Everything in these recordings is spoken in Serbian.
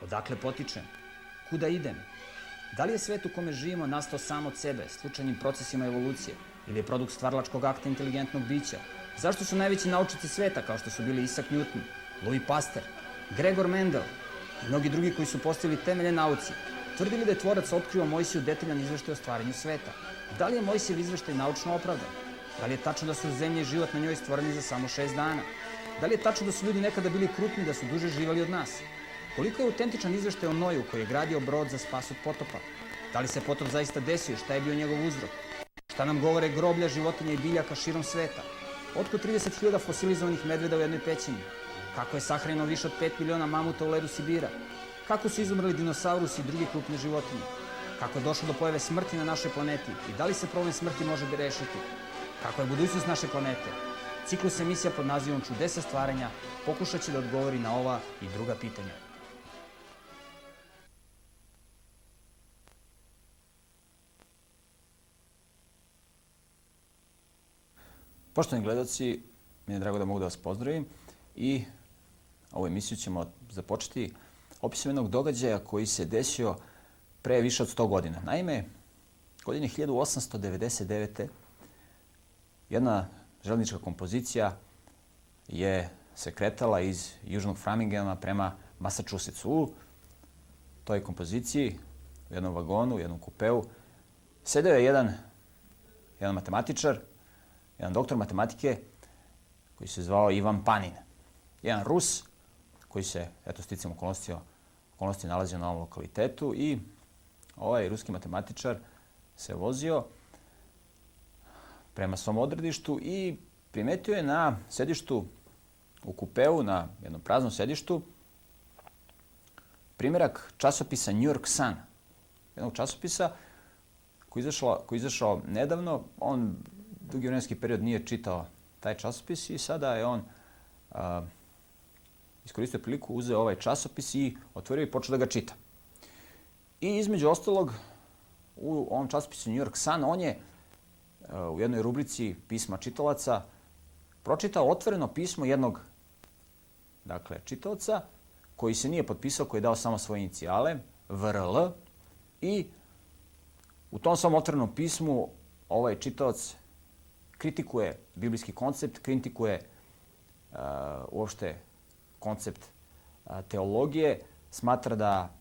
Odakle potičem? Kuda idem? Da li je svet u kome živimo nastao sam od sebe, slučajnim procesima evolucije, ili je produkt stvaralačkog akta inteligentnog bića? Zašto su najveći naučnici sveta, kao što su bili Isaac Newton, Louis Pasteur, Gregor Mendel i mnogi drugi koji su postavili temelje nauci, tvrdili da je tvorac otkrio Mojsiju detaljan izveštaj o stvaranju sveta? Da li je Mojsijev izveštaj naučno opravdan? Da li je tačno da su zemlja i život na njoj stvoreni za samo 6 dana? Da li je tačno da su ljudi nekada bili krupni, da su duže živali od nas? Koliko je autentičan izveštaj o Noju koji je gradio brod za spas od potopa? Da li se potop zaista desio i šta je bio njegov uzrok? Šta nam govore groblja, životinja i biljaka širom sveta? Otkud 30.000 fosilizovanih medveda u jednoj pećini? Kako je sahranjeno više od 5 miliona mamuta u ledu Sibira? Kako su izumrli dinosaurusi i druge krupne životinje? Kako je došlo do pojave smrti na našoj planeti i da li se problem smrti može rešiti? Kako je budućnost naše planete? Ciklus emisija pod nazivom Čudesa stvaranja pokušat će da odgovori na ova i druga pitanja. Poštovani gledaoci, mi je drago da mogu da vas pozdravim i ovu emisiju ćemo započeti opisom jednog događaja koji se desio pre više od 100 godina. Naime, godine 1899. jedna železnička kompozicija se kretala iz južnog Framingema prema Massachusettsu. U toj kompoziciji, u jednom vagonu, u jednom kupeu, sedeo je jedan matematičar, jedan doktor matematike koji se zvao Ivan Panin. Jedan Rus koji se, sticam okolnosti nalazio na ovom lokalitetu i ovaj ruski matematičar se vozio prema svom odredištu i primetio je na sedištu u kupeu, na jednom praznom sedištu, primjerak časopisa New York Sun. Jednog časopisa koji je izašao nedavno. On dugi vremenski period nije čitao taj časopis i sada je on iskoristio priliku, uzeo ovaj časopis i otvorio i počeo da ga čita. I između ostalog, u ovom časopisu New York Sun, on je u jednoj rubrici pisma čitalaca pročitao otvoreno pismo jednog čitaoca koji se nije potpisao, koji je dao samo svoje inicijale, VRL, i u tom svom otvorenom pismu ovaj čitaoc kritikuje biblijski koncept, kritikuje uopšte koncept teologije, smatra da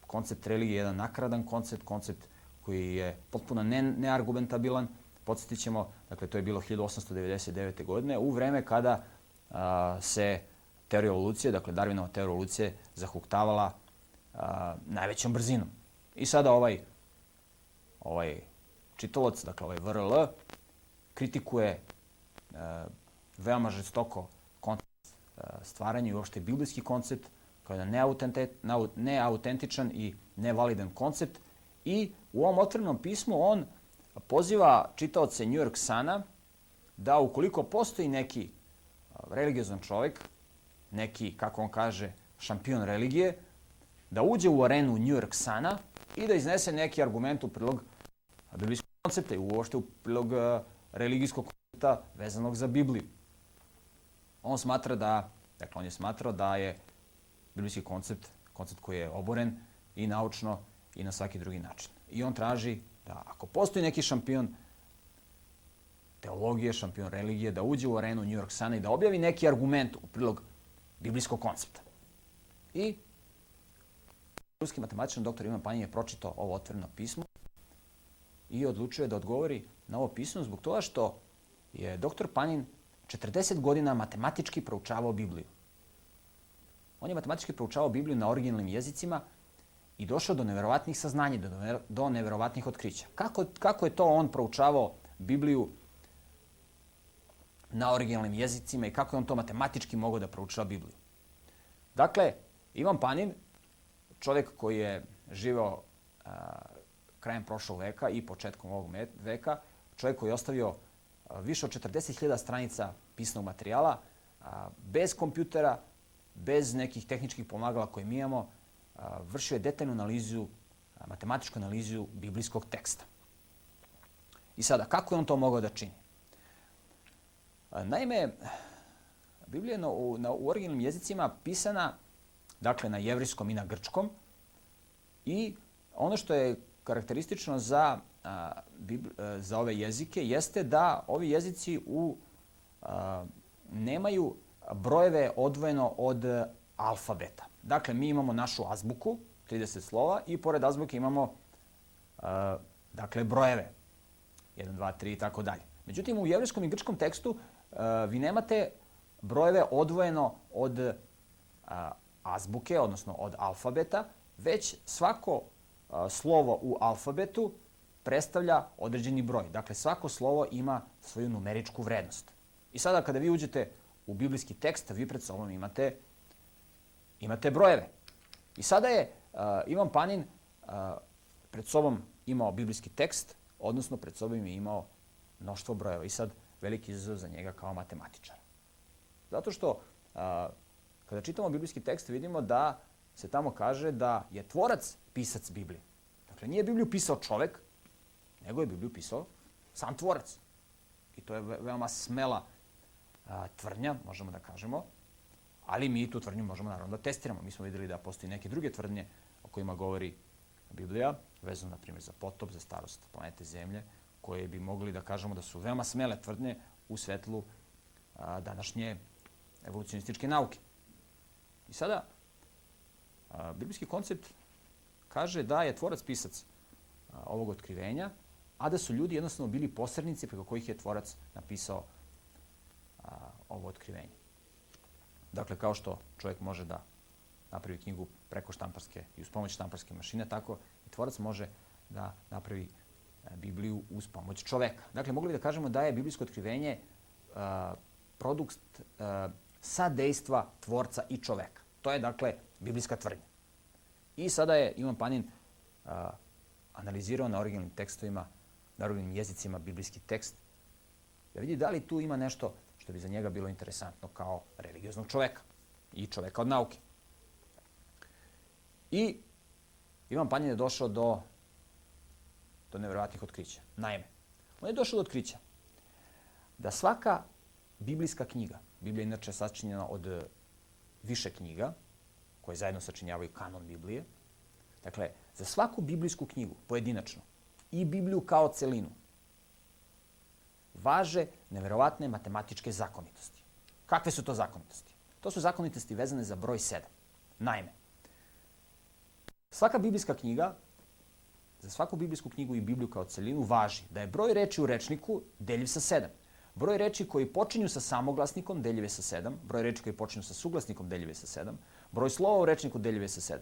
koncept religije je jedan nakaradan koncept koji je potpuno neargumentabilan. Podsjetit ćemo, to je bilo 1899. godine, u vreme kada se teorija evolucije, Darwinova teorija evolucije, zahuktavala najvećom brzinom. I sada ovaj čitalac, ovaj VRL, kritikuje veoma žestoko koncept stvaranja i uopšte biblijski koncept kao jedan neautentičan i nevalidan koncept. I u ovom otvorenom pismu on poziva čitaoce New York Suna da ukoliko postoji neki religiozan čovjek, neki, kako on kaže, šampion religije, da uđe u arenu New York Suna i da iznese neki argument u prilog biblijskog koncepta i uopšte u prilog religijskog koncepta vezanog za Bibliju. On je smatrao da je biblijski koncept koji je oboren i naučno i na svaki drugi način. I on traži da ako postoji neki šampion teologije, šampion religije, da uđe u arenu New York Suna i da objavi neki argument u prilog biblijskog koncepta. I ruski matematičar dr. Ivan Panin je pročitao ovo otvoreno pismo i odlučio je da odgovori na ovo pismo zbog toga što je dr. Panin 40 godina matematički proučavao Bibliju. On je matematički proučavao Bibliju na originalnim jezicima i došao do neverovatnih saznanja, do neverovatnih otkrića. Kako je to on proučavao Bibliju na originalnim jezicima i kako je on to matematički mogao da proučava Bibliju? Dakle, Ivan Panin, čovjek koji je živeo krajem prošlog veka i početkom ovog veka, čovjek koji je ostavio više od 40.000 stranica pisanog materijala, bez kompjutera, bez nekih tehničkih pomagala koje mi imamo, vršio je detaljnu analizu, matematičku analizu biblijskog teksta. I sada, kako je on to mogao da čini? Naime, Biblija je u originalnim jezicima pisana dakle na jevrijskom i na grčkom. I ono što je karakteristično za ove jezike jeste da ovi jezici nemaju brojeve odvojeno od alfabeta. Dakle, mi imamo našu azbuku, 30 slova, i pored azbuke imamo brojeve. 1, 2, 3 i tako dalje. Međutim, u jevrijskom i grčkom tekstu vi nemate brojeve odvojeno od azbuke, odnosno od alfabeta, već svako slovo u alfabetu predstavlja određeni broj. Dakle, svako slovo ima svoju numeričku vrednost. I sada kada vi uđete u biblijski tekst, vi pred sobom imate brojeve. I sada je Ivan Panin pred sobom imao biblijski tekst, odnosno pred sobom je imao mnoštvo brojeva. I sad veliki izazov za njega kao matematičara. Zato što kada čitamo biblijski tekst vidimo da se tamo kaže da je tvorac pisac Biblije. Dakle, nije Bibliju pisao čovek, nego je Bibliju pisao sam tvorac. I to je veoma smela tvrdnja, možemo da kažemo, ali mi tu tvrdnju možemo naravno da testiramo. Mi smo vidjeli da postoji neke druge tvrdnje o kojima govori Biblija, vezano na primjer za potop, za starost planete Zemlje, koje bi mogli da kažemo da su veoma smele tvrdnje u svetlu današnje evolucionističke nauke. I sada, biblijski koncept kaže da je tvorac pisac ovog otkrivenja, a da su ljudi jednostavno bili posrednici preko kojih je tvorac napisao ovo otkrivenje. Dakle, kao što čovjek može da napravi knjigu preko štamparske i uz pomoć štamparske mašine, tako i tvorac može da napravi Bibliju uz pomoć čoveka. Dakle, mogli da kažemo da je biblijsko otkrivenje produkt sadejstva tvorca i čoveka. To je, dakle, biblijska tvrdnja. I sada je Ivan Panin analizirao na originalnim tekstovima, na originalnim jezicima biblijski tekst, da vidi da li tu ima nešto što bi za njega bilo interesantno kao religioznog čoveka i čoveka od nauke. I Ivan Panin je došao do nevjerovatnih otkrića. Naime, on je došao do otkrića da svaka biblijska knjiga, Biblija je inače sačinjena od više knjiga, koje zajedno sačinjavaju kanon Biblije, dakle, za svaku biblijsku knjigu pojedinačno i Bibliju kao celinu važe neverovatne matematičke zakonitosti. Kakve su to zakonitosti? To su zakonitosti vezane za broj 7. Naime, svaka biblijska knjiga, za svaku biblijsku knjigu i Bibliju kao celinu važi da je broj reči u rečniku deljiv sa 7. Broj reči koji počinju sa samoglasnikom deljiv je sa 7. Broj reči koji počinju sa suglasnikom deljiv je sa 7. Broj slova u rečniku deljiv je sa 7.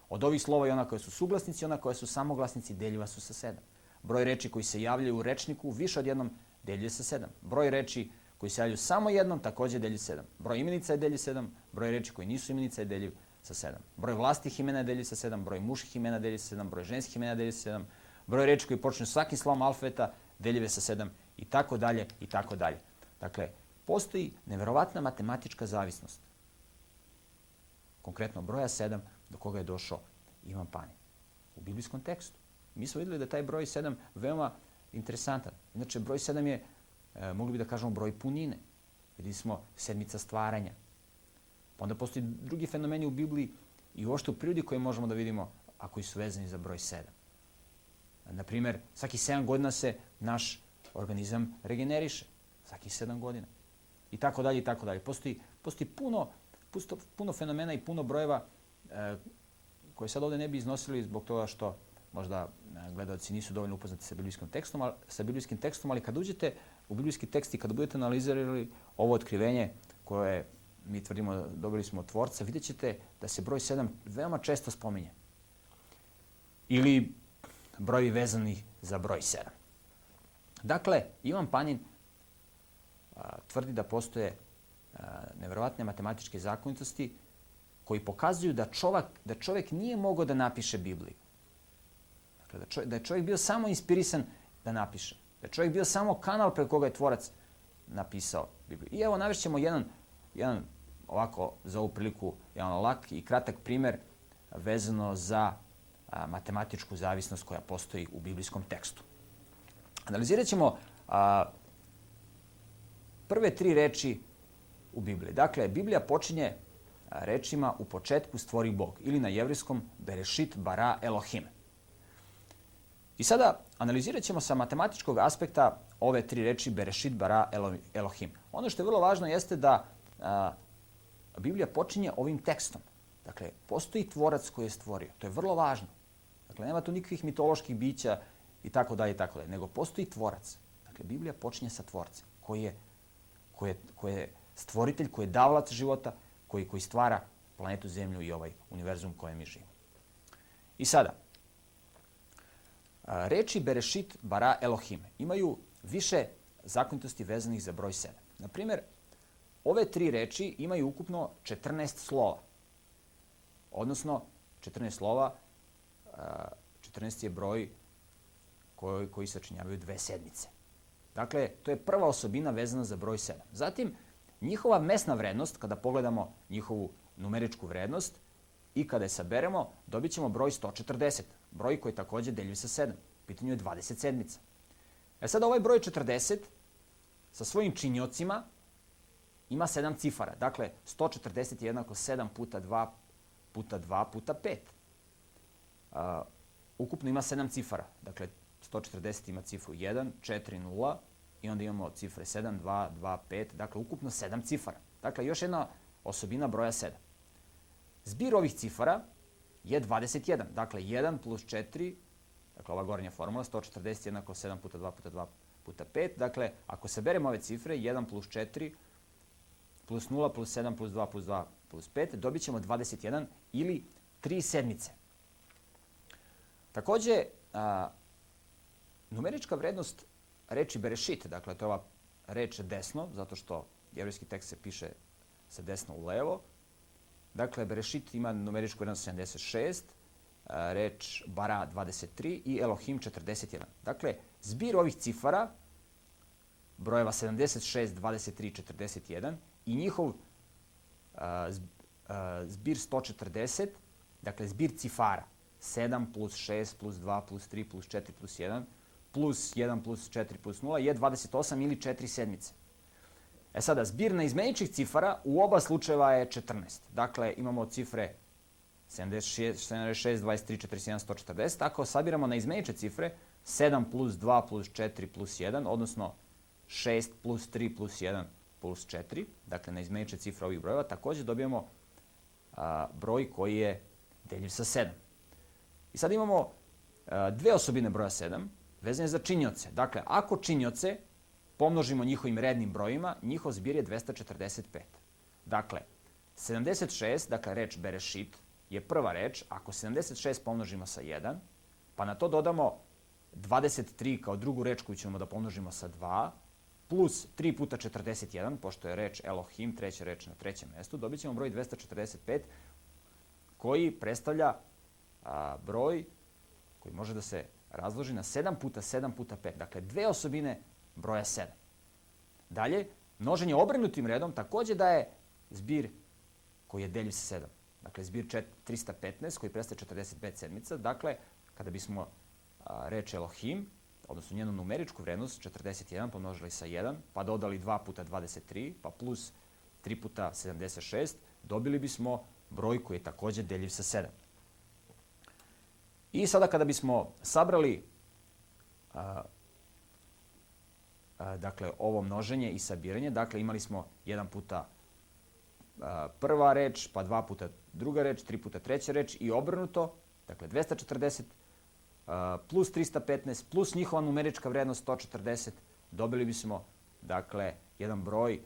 Od ovih slova i ona koja su suglasnici i ona koja su samoglasnici deljiva su sa 7. Broj reči koji se javljaju u rečniku više od jednom deljiv je sa 7. Broj reči koji se javljaju samo jednom također deljiv 7. Broj imenica je deljiv 7. Broj reči koji nisu imenica je deljiv sa 7. Broj vlastih imena je deljiv sa 7. Broj muških imena je deljiv sa 7. Broj ženskih imena je deljiv sa 7. Broj reči koji počinju svakim slovom alfabeta deljiv je sa 7 i tako dalje i tako dalje. Dakle, postoji neverovatna matematička zavisnost. Konkretno broja 7 do koga je došao Ivan Panin u biblijskom tekstu. Mi smo vidjeli da je taj broj 7 veoma interesantan. Inače, broj 7 je, mogli bi da kažemo, broj punine. Vidjeli smo sedmica stvaranja. Pa onda postoji drugi fenomeni u Bibliji i uopšte u prirodi koje možemo da vidimo, a koji su vezani za broj 7. Naprimjer, svaki 7 godina se naš organizam regeneriše. Svaki 7 godina. I tako dalje, i tako dalje. Postoji puno fenomena i puno brojeva koje sad ovdje ne bi iznosili zbog toga što možda gledalci nisu dovoljno upoznati sa biblijskim tekstom, ali kad uđete u biblijski tekst i kada budete analizirali ovo otkrivenje koje mi tvrdimo dobili smo od tvorca, vidjet ćete da se broj 7 veoma često spominje. Ili broji vezani za broj 7. Dakle, Ivan Panin tvrdi da postoje neverovatne matematičke zakonitosti koji pokazuju da čovjek nije mogao da napiše Bibliju. Dakle, da je čovjek bio samo inspirisan da napiše. Da je čovjek bio samo kanal preko koga je tvorac napisao Bibliju. I evo navešćemo jedan ovako za ovu priliku jedan lak i kratak primjer vezano za matematičku zavisnost koja postoji u biblijskom tekstu. Analizirat ćemo prve 3 reči u Bibliji. Dakle, Biblija počinje rečima u početku stvori Bog ili na jevrijskom Berešit bara Elohim. I sada analizirat ćemo sa matematičkog aspekta ove tri reči Berešit bara Elohim. Ono što je vrlo važno jeste da Biblija počinje ovim tekstom. Dakle, postoji tvorac koji je stvorio. To je vrlo važno. Dakle, nema tu nikakvih mitoloških bića i tako dalje, nego postoji tvorac. Dakle, Biblija počinje sa tvorcem koji je stvoritelj, koji je davalac života, koji stvara planetu Zemlju i ovaj univerzum u kojem mi živimo. I sada, reči Berešit bara Elohim imaju više zakonitosti vezanih za broj 7. Na primjer, ove tri reči imaju ukupno 14 slova. Odnosno, 14 slova, 14 je broj koji sačinjavaju dve sedmice. Dakle, to je prva osobina vezana za broj 7. Zatim, njihova mesna vrednost, kada pogledamo njihovu numeričku vrednost i kada je saberemo, dobit ćemo broj 140, broj koji također deljiv sa 7. U pitanju je 20 sedmica. Sada ovaj broj 40 sa svojim činiocima ima 7 cifara. Dakle, 140 je jednako 7 puta 2 puta 2 puta 5. Ukupno ima 7 cifara. Dakle, 140 ima cifru 1, 4, 0 i onda imamo cifre 7, 2, 2, 5. Dakle, ukupno 7 cifara. Dakle, još jedna osobina broja 7. Zbir ovih cifara je 21. Dakle, 1 plus 4, dakle, ova gornja formula, 140 jednako 7 puta 2 puta 2 puta 5. Dakle, ako saberemo ove cifre, 1 plus 4 plus 0 plus 7 plus 2 plus 2 plus 5, dobit ćemo 21 ili 3 sedmice. Također, numerička vrednost reči Berešit, dakle, to je ova reč desno, zato što jevrijski tekst se piše sa desno u levo. Dakle, Berešit ima numeričku vrednost 76, reč bara 23 i Elohim 41. Dakle, zbir ovih cifara, brojeva 76, 23, 41 i njihov zbir 140, dakle, zbir cifara 7 plus 6 plus 2 plus 3 plus 4 plus 1 plus 1 plus 4 plus 0 je 28 ili 4 sedmice. Sada, zbir neizmeničnih cifara u oba slučajeva je 14. Dakle, imamo cifre 76, 23, 41, 140. Ako sabiramo neizmenične cifre, 7 plus 2 plus 4 plus 1, odnosno 6 plus 3 plus 1 plus 4, dakle, neizmenične cifre ovih brojeva, također dobijemo broj koji je deljiv sa 7. I sad imamo dve osobine broja 7, vezane za činioce. Dakle, ako činioce pomnožimo njihovim rednim brojima, njihov zbir je 245. Dakle, 76, dakle, reč Berešit je prva reč. Ako 76 pomnožimo sa 1, pa na to dodamo 23 kao drugu reč koju ćemo da pomnožimo sa 2, plus 3 puta 41, pošto je reč Elohim, treća reč na trećem mjestu, dobit ćemo broj 245, koji predstavlja broj koji može da se razloži na 7 puta 7 puta 5. Dakle, dve osobine broja 7. Dalje, množenje obrnutim redom također daje zbir koji je deljiv sa 7. Dakle, zbir 315 koji predstavlja 45 sedmica. Dakle, kada bismo reč Elohim, odnosno njenu numeričku vrednost 41 pomnožili sa 1, pa dodali 2 puta 23, pa plus 3 puta 76, dobili bismo broj koji je također deljiv sa 7. I sada kada bismo sabrali dakle, ovo množenje i sabiranje, dakle, imali smo 1 puta prva reč, pa 2 puta druga reč, 3 puta treća reč i obrnuto, dakle, 240 plus 315 plus njihova numerička vrednost 140, dobili bismo, dakle, jedan broj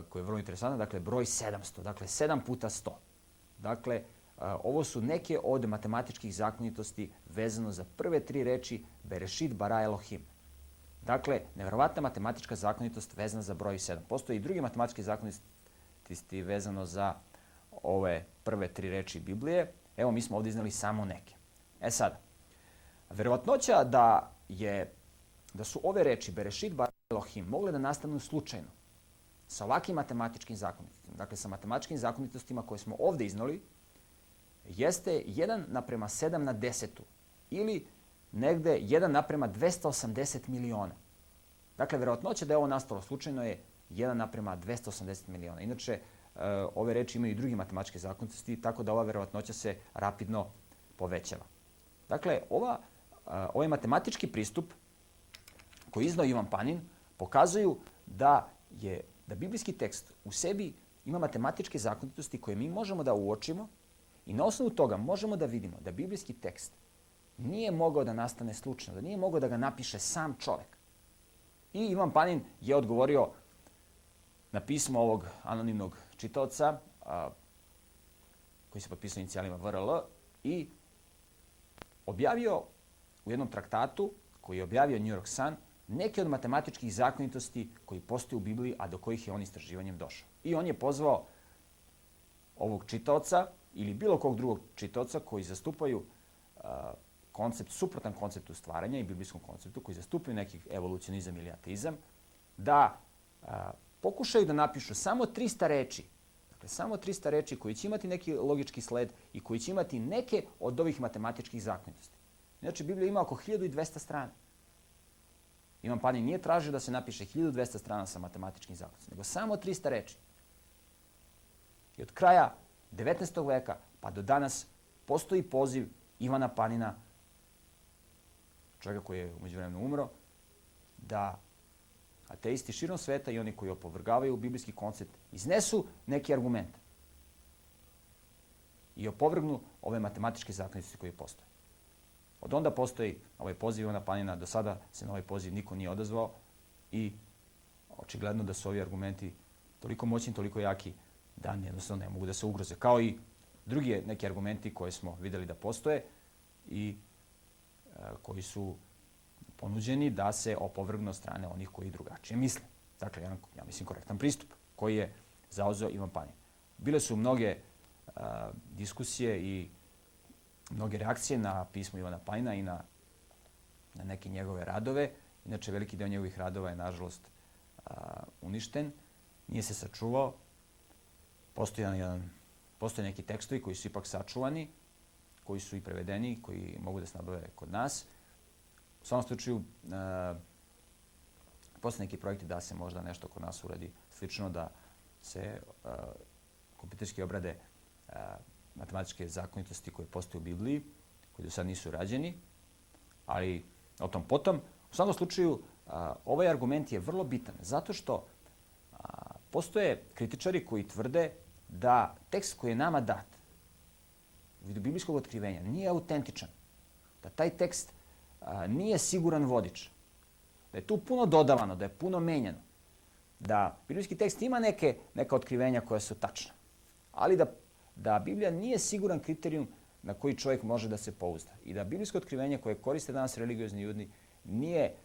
koji je vrlo interesantan, dakle, broj 700, dakle, 7 puta 100. Dakle, ovo su neke od matematičkih zakonitosti vezano za prve tri reči Berešit bara Elohim. Dakle, nevjerovatna matematička zakonitost vezana za broj 7. Postoje i druge matematičke zakonitosti vezano za ove prve tri reči Biblije. Evo, mi smo ovdje iznali samo neke. Sada, verovatnoća da su ove reči Berešit bara Elohim mogle da nastanu slučajno sa ovakvim matematičkim zakonitostima, dakle sa matematičkim zakonitostima koje smo ovdje iznali, jeste 1:7 na 10 ili negde 1:280 miliona. Dakle, verovatnoća da je ovo nastalo slučajno je 1:280 miliona. Inače, ove reči imaju i druge matematičke zakonitosti, tako da ova verovatnoća se rapidno povećava. Dakle, ovaj matematički pristup koji je iznao Ivan Panin pokazuju da biblijski tekst u sebi ima matematičke zakonitosti koje mi možemo da uočimo i na osnovu toga možemo da vidimo da biblijski tekst nije mogao da nastane slučajno, da nije mogao da ga napiše sam čovek. I Ivan Panin je odgovorio na pismo ovog anonimnog čitaoca koji se potpisao inicijalima VRL i objavio u jednom traktatu koji je objavio New York Sun neke od matematičkih zakonitosti koji postoje u Bibliji, a do kojih je on istraživanjem došao. I on je pozvao ovog čitaoca ili bilo kog drugog čitaoca koji zastupaju koncept, suprotan konceptu stvaranja i biblijskom konceptu, koji zastupaju neki evolucionizam ili ateizam, da pokušaju da napišu samo 300 reči, dakle samo 300 reči koji će imati neki logički sled i koji će imati neke od ovih matematičkih zakonitosti. Znači, Biblija ima oko 1200 strana. Ivan Panin nije tražio da se napiše 1200 strana sa matematičkim zakonitostima, nego samo 300 reči. I od kraja 19. veka pa do danas postoji poziv Ivana Panina, čovjeka koji je umeđu vremenu umro, da ateisti širom sveta i oni koji opovrgavaju biblijski koncept iznesu neki argument i opovrgnu ove matematičke zakonitosti koje postoje. Od onda postoji ovaj poziv Ivana Panina, do sada se na ovaj poziv niko nije odazvao i očigledno da su ovi argumenti toliko moćni, toliko jaki da jednostavno ne mogu da se ugroze. Kao i drugi neki argumenti koje smo videli da postoje i koji su ponuđeni da se opovrgnu od strane onih koji drugačije misle. Dakle, ja mislim korektan pristup koji je zauzeo Ivan Panin. Bile su mnoge diskusije i mnoge reakcije na pismo Ivana Panina i na neke njegove radove. Inače, veliki deo njegovih radova je, nažalost, uništen. Nije se sačuvao. Postoje neki tekstovi koji su ipak sačuvani, koji su i prevedeni, koji mogu da se nabave kod nas. U svakom slučaju, postoje neki projekti da se možda nešto kod nas uradi slično, da se kompjuterski obrade matematičke zakonitosti koje postoje u Bibliji, koji do sad nisu rađeni, ali o tom potom. U svakom slučaju, ovaj argument je vrlo bitan, zato što postoje kritičari koji tvrde da tekst koji je nama dat u vidu biblijskog otkrivenja nije autentičan, da taj tekst nije siguran vodič, da je tu puno dodavano, da je puno menjano, da biblijski tekst ima neka otkrivenja koja su tačna, ali da Biblija nije siguran kriterijum na koji čovjek može da se pouzda i da biblijsko otkrivenje koje koriste danas religiozni ljudi nije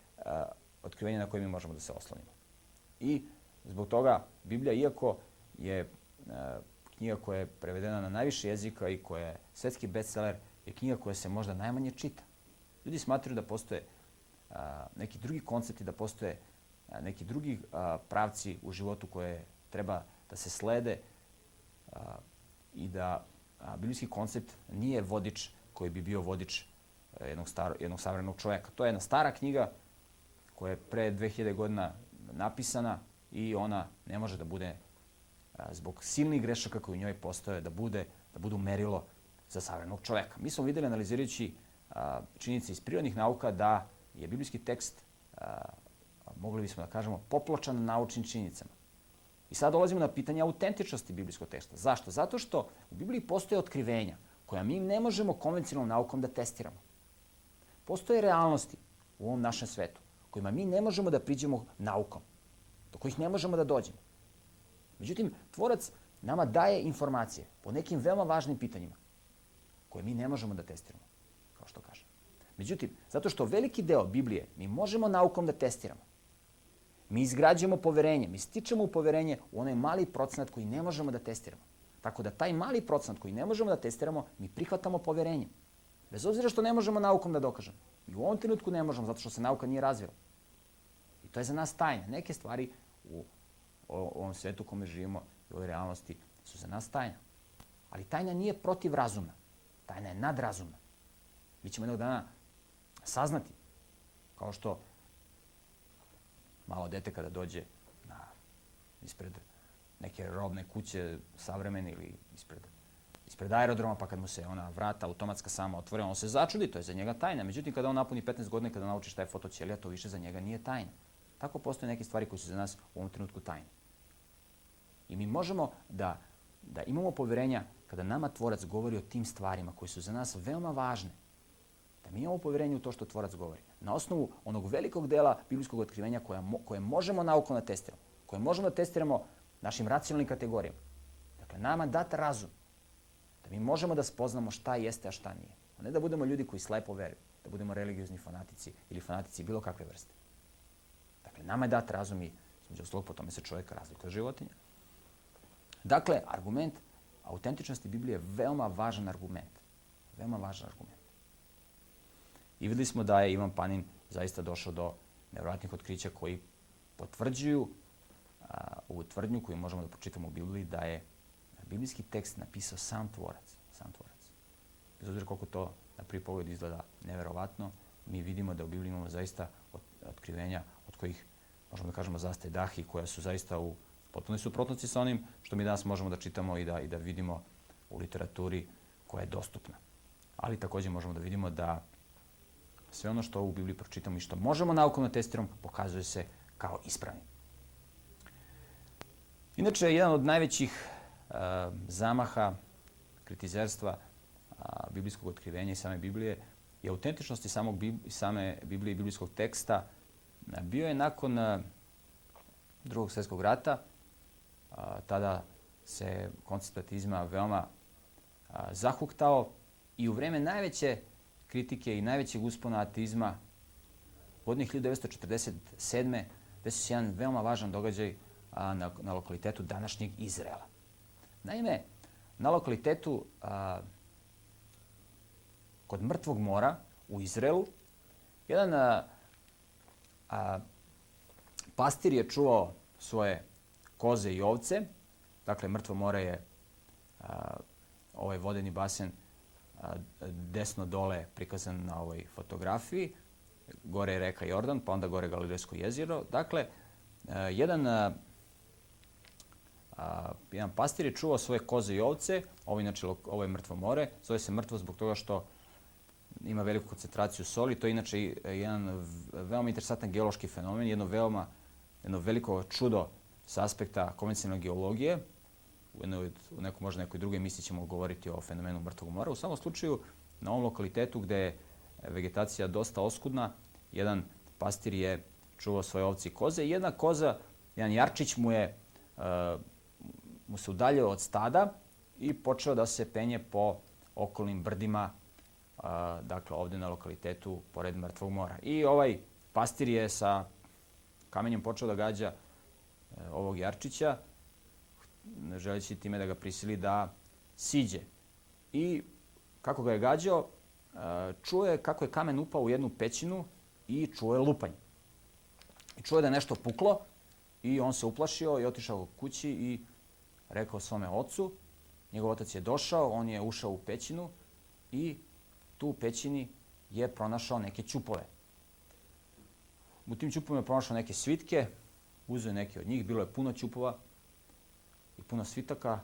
otkrivenje na koje mi možemo da se oslonimo. I zbog toga Biblija, iako je knjiga koja je prevedena na najviše jezika i koja je svetski bestseller, je knjiga koja se možda najmanje čita. Ljudi smatraju da postoje neki drugi koncepti, da postoje neki drugi pravci u životu koje treba da se slede i da biblijski koncept nije vodič koji bi bio vodič jednog savremenog čovjeka. To je jedna stara knjiga koja je pre 2000 godina napisana i ona ne može da bude, zbog silnih grešaka koji u njoj postoje, da budu merilo za savremenog čovjeka. Mi smo videli, analizirajući činjenice iz prirodnih nauka, da je biblijski tekst, mogli bismo da kažemo, popločan naučnim činjenicama. I sad dolazimo na pitanje autentičnosti biblijskog teksta. Zašto? Zato što u Bibliji postoje otkrivenja koja mi ne možemo konvencionalnom naukom da testiramo. Postoje realnosti u ovom našem svetu kojima mi ne možemo da priđemo naukom, do kojih ne možemo da dođemo. Međutim, Tvorac nama daje informacije po nekim veoma važnim pitanjima koje mi ne možemo da testiramo, kao što kažem. Međutim, zato što veliki deo Biblije mi možemo naukom da testiramo, mi izgrađujemo poverenje, mi stičemo u poverenje u onaj mali procenat koji ne možemo da testiramo. Tako da taj mali procenat koji ne možemo da testiramo, mi prihvatamo poverenjem. Bez obzira što ne možemo naukom da dokažemo. I u ovom trenutku ne možemo, zato što se nauka nije razvila. I to je za nas tajna. Neke stvari u ovom svetu u kome živimo i u ovoj realnosti su za nas tajna. Ali tajna nije protivrazumna. Tajna je nadrazumna. Mi ćemo jednog dana saznati, kao što malo dete kada dođe ispred neke robne kuće savremene ili ispred aerodroma, pa kad mu se ona vrata automatska sama otvore, on se začudi, to je za njega tajna. Međutim, kada on napuni 15 godina, kada nauči šta je fotoćelija, to više za njega nije tajna. Tako postoje neke stvari koje su za nas u ovom trenutku tajne. I mi možemo da imamo povjerenja kada nama Tvorac govori o tim stvarima koje su za nas veoma važne. Da mi imamo povjerenje u to što Tvorac govori. Na osnovu onog velikog dela biblijskog otkrivenja koje možemo naukom da testiramo, koje možemo da testiramo našim racionalnim kategorijama. Dakle, nama dat razum. Da mi možemo da spoznamo šta jeste, a šta nije. A ne da budemo ljudi koji slepo veruju. Da budemo religiozni fanatici ili fanatici bilo kakve vrste. Dakle, nama je dat razum i između ostalog po tome se čovjek razlikuje od životinja. Dakle, argument autentičnosti Biblije je veoma važan argument. Veoma važan argument. I videli smo da je Ivan Panin zaista došao do nevjerojatnih otkrića koji potvrđuju ovu tvrdnju koju možemo da pročitamo u Bibliji da je biblijski tekst napisao sam Tvorac. Sam Tvorac. Bez obzira koliko to na prvi pogled izgleda neverovatno, mi vidimo da u Bibliji imamo zaista otkrivenja od kojih možemo da kažemo zastaje dah i koja su zaista u potpunoj suprotnosti sa onim što mi danas možemo da čitamo i da vidimo u literaturi koja je dostupna. Ali također možemo da vidimo da sve ono što u Bibliji pročitamo i što možemo naukom da testiramo pokazuje se kao ispravni. Inače, jedan od najvećih zamaha kritizerstva biblijskog otkrivenja i same Biblije i autentičnosti same Biblije i biblijskog teksta bio je nakon Drugog svjetskog rata. Tada se koncept ateizma veoma zahuktao i u vreme najveće kritike i najvećeg uspona ateizma godine 1947. desio se jedan veoma važan događaj na lokalitetu današnjeg Izraela. Naime, na lokalitetu kod Mrtvog mora u Izraelu jedan pastir je čuvao svoje koze i ovce. Dakle, Mrtvo more je ovaj vodeni basen desno dole prikazan na ovoj fotografiji. Gore je reka Jordan, pa onda gore Galilejsko jezero. Dakle, jedan pastir je čuvao svoje koze i ovce. Ovo je Mrtvo more. Zove se Mrtvo zbog toga što ima veliku koncentraciju soli. To je inače jedan veoma interesantan geološki fenomen, jedno veliko čudo sa aspekta konvencionalne geologije. Možda nekoj drugoj emisiji ćemo govoriti o fenomenu Mrtvog mora. U samom slučaju, na ovom lokalitetu gde je vegetacija dosta oskudna, jedan pastir je čuvao svoje ovce i koze i jedna koza, jedan jarčić mu se udaljio od stada i počeo da se penje po okolnim brdima, dakle ovdje na lokalitetu pored Mrtvog mora. I ovaj pastir je sa kamenjem počeo da gađa ovog jarčića, želeći time da ga prisili da siđe. I kako ga je gađao, čuo je kako je kamen upao u jednu pećinu i čuo je lupanje. I čuo je da je nešto puklo i on se uplašio i otišao kući i rekao svome ocu. Njegov otac je došao, on je ušao u pećinu i tu u pećini je pronašao neke ćupove. U tim ćupovima je pronašao neke svitke, uzeo neke od njih, bilo je puno ćupova i puno svitaka.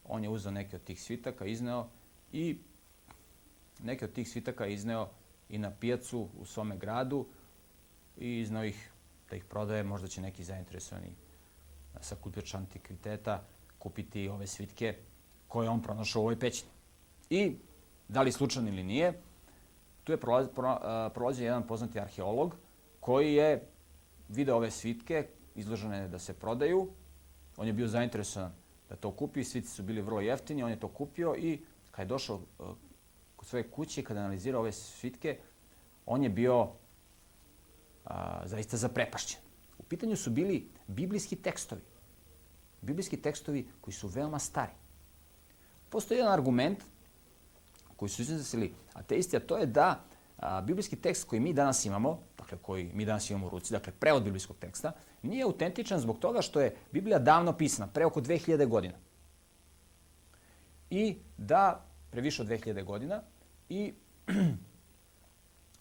On je uzeo neke od tih svitaka, izneo i neke od tih svitaka izneo i na pijacu u svome gradu i izneo ih da ih prodaje. Možda će neki zainteresovani sakupljač antikviteta kupiti ove svitke koje on pronašao u ovoj pećini. I da li slučajno ili nije, tu je prolazio jedan poznati arheolog koji je video ove svitke izložene da se prodaju. On je bio zainteresovan da to kupi, svitci su bili vrlo jeftini, on je to kupio i kad je došao kod svoje kuće, kada je analizirao ove svitke, on je bio zaista zaprepašćen. U pitanju su bili biblijski tekstovi. Biblijski tekstovi koji su veoma stari. Postoji jedan argument koji su iznosili ateisti, a to je da biblijski tekst koji mi danas imamo, dakle koji mi danas imamo u ruci, dakle prevod biblijskog teksta, nije autentičan zbog toga što je Biblija davno pisana, pre oko 2000 godina. I da, previše od 2000 godina, i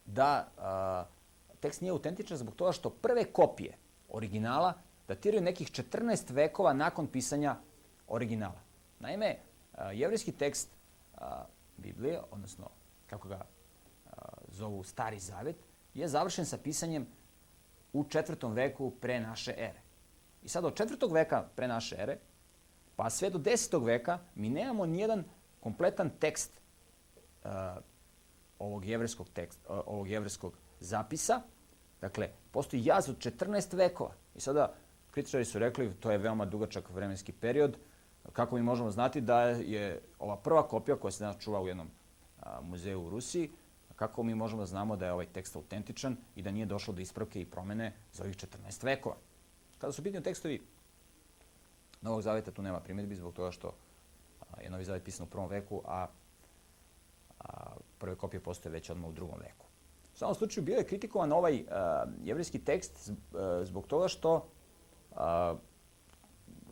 da tekst nije autentičan zbog toga što prve kopije originala datiraju nekih 14 vekova nakon pisanja originala. Naime, jevrejski tekst Biblije, odnosno kako ga zovu Stari Zavet, je završen sa pisanjem u 4. veku pre naše ere. I sad od 4. veka pre naše ere pa sve do 10. veka mi nemamo nijedan kompletan tekst ovog jevrejskog zapisa. Dakle, postoji jaz od 14 vekova. I sada kritičari su rekli to je veoma dugačak vremenski period. Kako mi možemo znati da je ova prva kopija koja se danas čuva u jednom muzeju u Rusiji, kako mi možemo da znamo da je ovaj tekst autentičan i da nije došlo do ispravke i promene za ovih 14 vekova. Kada su pitani tekstovi Novog Zaveta, tu nema primjedbi zbog toga što je Novi Zavet pisan u 1. veku, a prve kopije postoje već odmah u 2. veku. U samom slučaju bio je kritikovan ovaj jevrejski tekst zbog toga što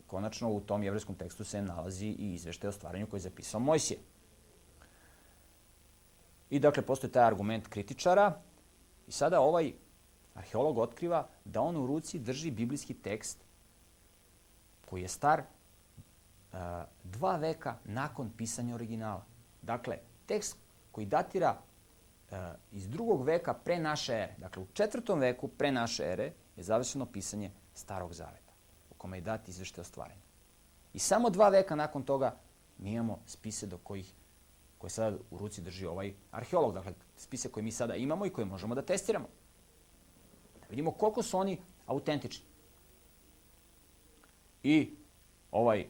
konačno u tom jevrejskom tekstu se nalazi i izveštaj o stvaranju koji je zapisao Mojsije. I dakle, postoji taj argument kritičara i sada ovaj arheolog otkriva da on u ruci drži biblijski tekst koji je star 2 veka nakon pisanja originala. Dakle, tekst koji datira iz 2. veka pre naše ere. Dakle, u 4. veku pre naše ere je završeno pisanje Starog Zaveta, u kome je dat izveštaj o stvaranju. I samo 2 veka nakon toga mi imamo spise koje sada u ruci drži ovaj arheolog. Dakle, spise koje mi sada imamo i koje možemo da testiramo. Da vidimo koliko su oni autentični. I ovaj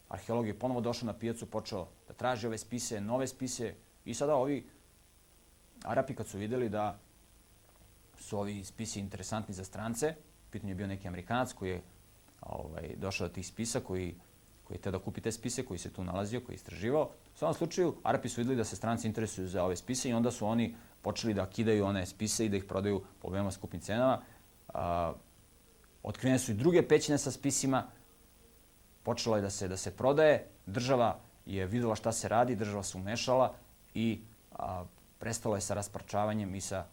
arheolog je ponovo došao na pijacu, počeo da traži ove spise, nove spise i sada ovi Arapi kad su vidjeli da su ovi spisi interesantni za strance, u pitanju je bio neki Amerikanac koji je došao do tih spisa, koji je htio da kupi te spise, koji se tu nalazio, koji je istraživao. U svakom slučaju, Arapi su vidjeli da se stranci interesuju za ove spise i onda su oni počeli da kidaju one spise i da ih prodaju po veoma skupim cenama. Otkrivene su i druge pećine sa spisima, počelo je da se prodaje, država je vidjela šta se radi, država se umešala i prestalo je sa rasparčavanjem i sa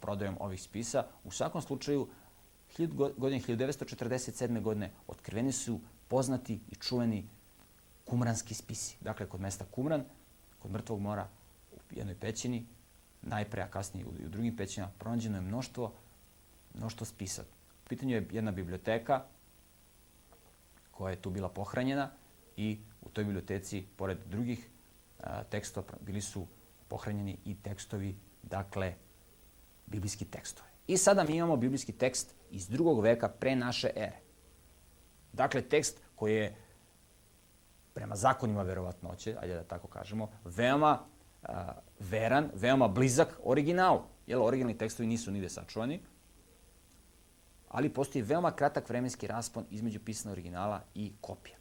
prodajom ovih spisa. U svakom slučaju, godine 1947. godine otkriveni su poznati i čuveni kumranski spisi. Dakle, kod mesta Kumran, kod Mrtvog mora, u jednoj pećini, najpre, a kasnije i u drugim pećinama, pronađeno je mnoštvo spisa. U pitanju je jedna biblioteka koja je tu bila pohranjena i u toj biblioteci, pored drugih tekstova, bili su pohranjeni i tekstovi, dakle, biblijski tekstovi. I sada mi imamo biblijski tekst iz 2. veka pre naše ere. Dakle, tekst koji je, prema zakonima verovatnoće, ajde da tako kažemo, veoma veran, veoma blizak originalu. Jer originalni tekstovi nisu nigde sačuvani, ali postoji veoma kratak vremenski raspon između pisana originala i kopija.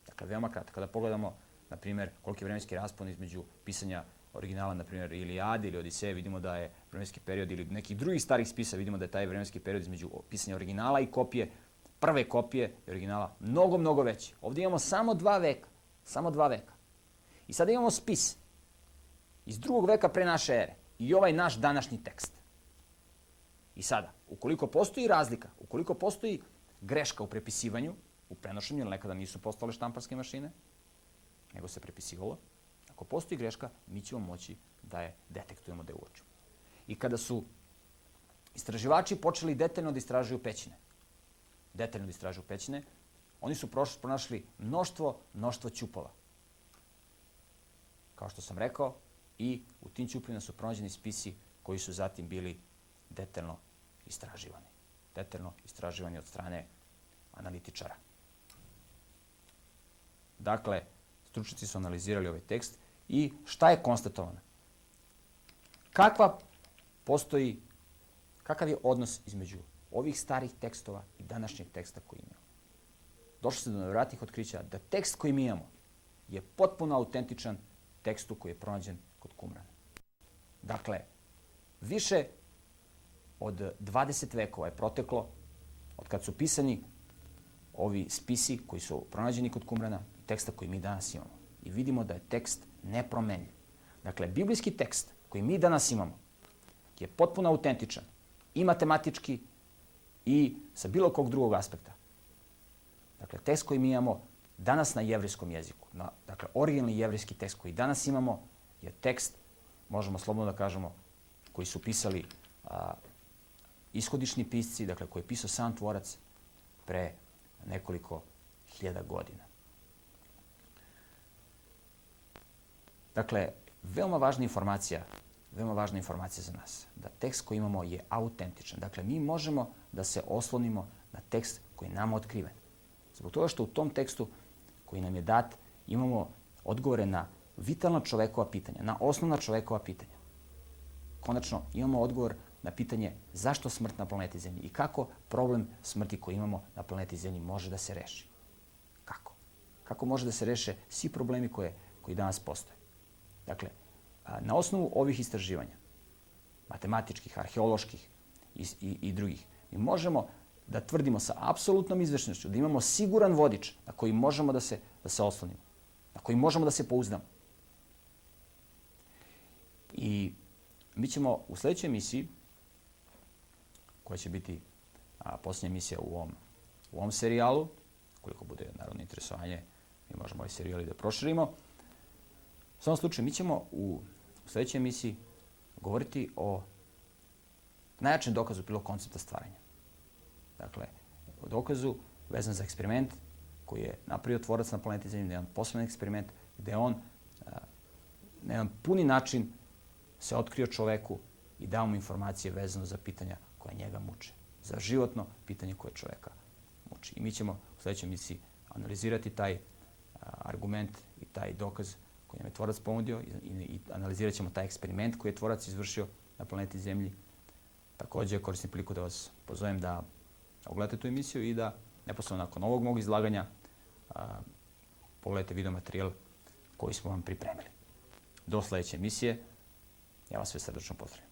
Dakle, veoma kratak. Kada pogledamo, na primjer, koliki je vremenski raspon između pisanja originala, na primjer, Ilijade ili Odiseje, vidimo da je vremenski period, ili nekih drugih starih spisa, vidimo da je taj vremenski period između pisanja originala i kopije, prve kopije i originala, mnogo, mnogo veći. Ovdje imamo samo 2 veka. Samo 2 veka. I sada imamo spis iz 2. veka pre naše ere i ovaj naš današnji tekst. I sada, ukoliko postoji razlika, ukoliko postoji greška u prepisivanju, u prenošenju, jer nekada nisu postale štamparske mašine, nego se prepisivalo, ako postoji greška, mi ćemo moći da je detektujemo, da je uočimo. I kada su istraživači počeli detaljno da istražuju pećine, oni su pronašli mnoštvo ćupova. Kao što sam rekao, i u tim ćupovima su pronađeni spisi koji su zatim bili detaljno istraživani. Detaljno istraživani od strane analitičara. Dakle, stručnjaci su analizirali ovaj tekst i šta je konstatovano? Kakav je odnos između ovih starih tekstova i današnjeg teksta koji imamo? Došli se do nevjerojatnih otkrića da tekst koji mi imamo je potpuno autentičan tekstu koji je pronađen kod Kumrana. Dakle, više od 20 vekova je proteklo od kad su pisani ovi spisi koji su pronađeni kod Kumrana i teksta koji mi danas imamo. I vidimo da je tekst nepromenljiv. Dakle, biblijski tekst koji mi danas imamo je potpuno autentičan i matematički i sa bilo kog drugog aspekta. Dakle, tekst koji mi imamo danas na jevrijskom jeziku, dakle, originalni jevrijski tekst koji danas imamo je tekst, možemo slobodno da kažemo, koji su pisali ishodišni pisci, dakle, koji je pisao sam tvorac pre nekoliko hiljada godina. Dakle, veoma važna informacija za nas, da tekst koji imamo je autentičan. Dakle, mi možemo da se oslonimo na tekst koji je nama otkriven. Zbog toga što u tom tekstu koji nam je dat imamo odgovore na vitalna čovekova pitanja, na osnovna čovekova pitanja. Konačno, imamo odgovor na pitanje zašto smrt na planeti Zemlji i kako problem smrti koji imamo na planeti Zemlji može da se reši. Kako? Kako može da se reše svi problemi koji danas postoje? Dakle, na osnovu ovih istraživanja, matematičkih, arheoloških i drugih, mi možemo da tvrdimo sa apsolutnom izvešnošću da imamo siguran vodič na koji možemo da se oslonimo, na koji možemo da se pouzdamo. I mi ćemo u sledećoj emisiji, koja će biti posljednja emisija u ovom serijalu, koliko bude naravno interesovanje, mi možemo ovaj serijal i da proširimo. U svakom slučaju, mi ćemo u sledećoj emisiji govoriti o najjačem dokazu pilog koncepta stvaranja. Dakle, o dokazu vezan za eksperiment koji je napravio tvorac na planeti Zemlji, jedan posebno eksperiment gde on na jedan puni način se otkrio čoveku i dao mu informacije vezano za pitanja koja njega muče. Za životno pitanje koje čoveka muči. I mi ćemo u sledećoj emisiji analizirati taj argument i taj dokaz koji nam je tvorac ponudio i analizirat ćemo taj eksperiment koji je tvorac izvršio na planeti Zemlji. Takođe, koristim priliku da vas pozovem da ogledate tu emisiju i da neposredno nakon ovog mog izlaganja pogledajte video materijal koji smo vam pripremili. Do sledeće emisije, ja vas sve srdačno pozdravim.